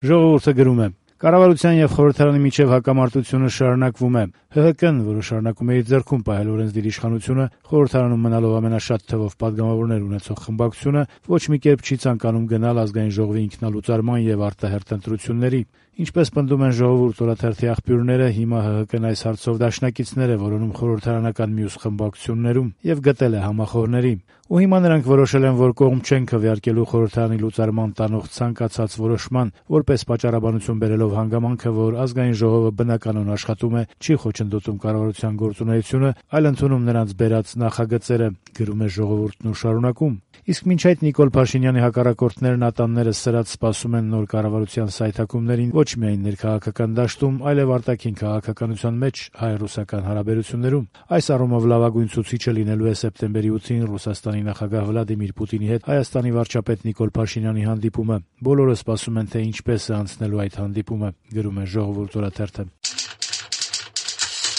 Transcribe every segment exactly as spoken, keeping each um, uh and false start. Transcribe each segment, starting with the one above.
Ժողովուրդը գրում է. «Կառավարության եւ խորհրդարանի միջեւ հակամարտությունը շարունակվում է։ ՀՀԿ-ն, որը շարունակում է իր ձեռքում պահել օրենսդիր իշխանությունը, խորհրդարանում մնալով ամենաշատ թվով պատգամավորներ ունեցող խմբակցությունը, ոչ մի կերպ չի ցանկանում գնալ ազգային ժողովի ինքնալուծարման եւ արտահերթ ընտրությունների։ Ինչպես պնդում են «Ժողովուրդ» օրաթերթի աղբյուրները, հիմա ՀՀԿ-ն այս հարցով դաշնակիցներ է որոնում խորհրդարանական մյուս խմբակցություններում եւ գտել է համախոհների։ Ու հիմա նրանք որոշել են, որ կողմ չեն քվեարկելու խորհրդարանի լուծարման տանող ցանկացած որոշման, որպես պատճառաբանություն բերելով հանգամանքը, որ ազգային ժողովը բնականon աշխատում է, չի խոչընդոտում կառավարության գործունեությունը, այլ ընդունում նրանց բերած նախագծերը», գրում է «Ժողովուրդն» ու շարունակում. «Իսկ մինչ այդ Նիկոլ Փաշինյանի հակառակորդներն ատանները սրած սպասում են նոր կառավարության սայթաքումներին ոչ միայն ներքաղաքական դաշտում, այլև արտաքին քաղաքականության մեջ հայ-ռուսական հարաբերություններում։ Այս առումով լավագույն ցուցիչը լինելու է սեպտեմբերի ութին Ռուսաստանի նախագահ Վլադիմիր Պուտինի հետ Հայաստանի վարչապետ Նիկոլ Փաշինյանի հանդիպումը։ Բոլորը սպասում են, թե ինչպես է անցնելու այդ հանդիպումը», գրում է «Ժողովուրդ» օրաթերթը։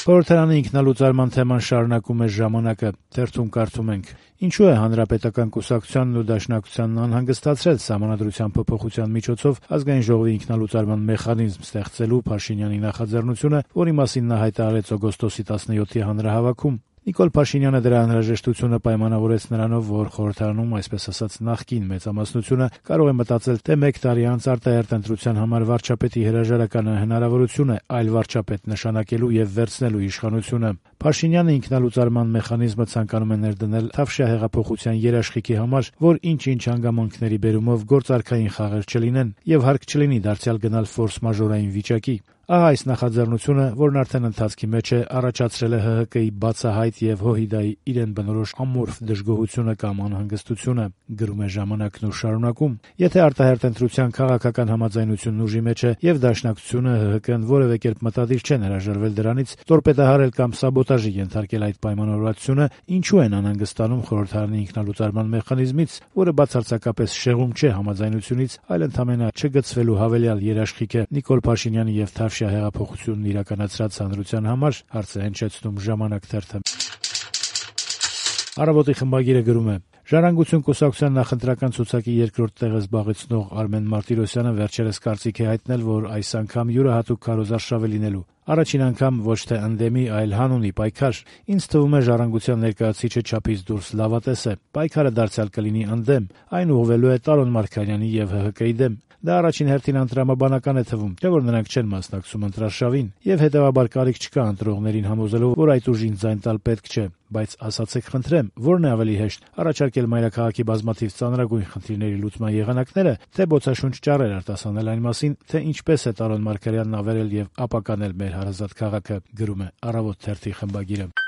Խորհրդարանի ինքնալուծարման թեման շարունակում է «Ժամանակ»-ը։ Թերթում կարդում ենք. «Ինչու է Հանրապետական կուսակցությանն ու Դաշնակցությանն անհանգստացրել Սահմանադրության փոփոխության միջոցով ազգային ժողովի ինքնալուծարման մեխանիզմ ստեղծելու Փաշինյանի նախաձեռնությունը, որի մասին նա հայտարարեց օգոստոսի տասնյոթի հանրահավաքում։ Նիկոլ Փաշինյանը դրա անհրաժեշտությունը պայմանավորեց նրանով, որ խորհրդարանում, այսպես ասած, նախկին մեծամասնությունը կարող է մտածել, թե մեկ տարի անց արտահերթ ընտրության համար վարչապետի հրաժարականը հնարավորություն է այլ վարչապետ նշանակելու եւ վերցնելու իշխանությունը։ Փաշինյանը ինքնալուծարման մեխանիզմը ցանկանում է ներդնել Թավշյա հեղափոխության երաշխիքի համար, որ ինչ-ինչ հանգամանքների բերումով գործարքային խաղեր չլինեն եւ հարկ չլինի դարձյալ գնալ ֆորս-մաժորային վիճակի։ Ահա այս նախաձեռնությունը, որն արդեն ընթացքի մեջ է, առաջացրել է ՀՀԿ-ի բացահայտ եւ ՀՅԴ-ի իրեն բնորոշ ամորֆ դժգոհությունը կամ անհանգստությունը», գրում է «Ժամանակ»-ն ու շարունակում. «Եթե արտահերթ ընտրության քաղաքական համաձայնությունն ուժի մեջ է եւ Դաշնակցությունը, ՀՀԿ-ն որեւէ կերպ մտադիր չեն հրաժարվել դրանից, տորպեդահարել կամ սաբոտաժի ենթարկել այդ պայմանավորվածությունը, ինչու են անհանգստանում խորհրդարանի ինքնալուծարման մեխանիզմից, որը բացարձակապես շեղում չէ համաձայնությունից, այլ ընդամենը չգծվելու հավելյալ երաշխիք է Նիկոլ Փաշինյանի եւ Թավշյա հեղափոխությունն իրականացրած հանրության համար», հարց է հնչեցնում «Ժամանակ» թերթը։ «Առավոտ»-ի խմբագիրը գրում է. «Ժառանգություն» կուսակցության նախընտրական ցուցակի երկրորդ տեղը զբաղեցնող Արմեն Մարտիրոսյանը վերջերս կարծիք է հայտնել, որ այս անգամ յուրահատուկ քարոզարշավ է լինելու։ Առաջին անգամ ոչ թե ընդդեմի, այլ հանունի պայքար։ Ինձ թվում է ժառանգության ներկայացուցիչը չափից դուրս լավատես է։ Պայքարը դարձյալ կլինի ընդդեմ, այն ուղղվելու է Տարոն Մարգարյանի եւ ՀՀԿ-ի դեմ։ Դա առաջին հերթին անտրամաբանական է թվում, թե որ նրանք չեն մասնակցում ընտրարշավին, եւ հետեւաբար կարիք չկա ընտրողներին համոզելու, որ այդ ուժին ձայն տալ պետք չէ։ Բայց ասացեք խնդրեմ, ո՞րն է ավելի հեշտ՝ առաջարկել մայրաքաղաքի բազմաթիվ ծանրագույն խնդիրների լուծման եղանակները, թե բոցաշունչ ճառեր արտասանել այն մասին, թե ինչպես է Տարոն Մարգարյանն ավերել եւ ապականել մեր հարազատ քաղաքը», գրում է «Առավոտ» թերթի խմբագիրը։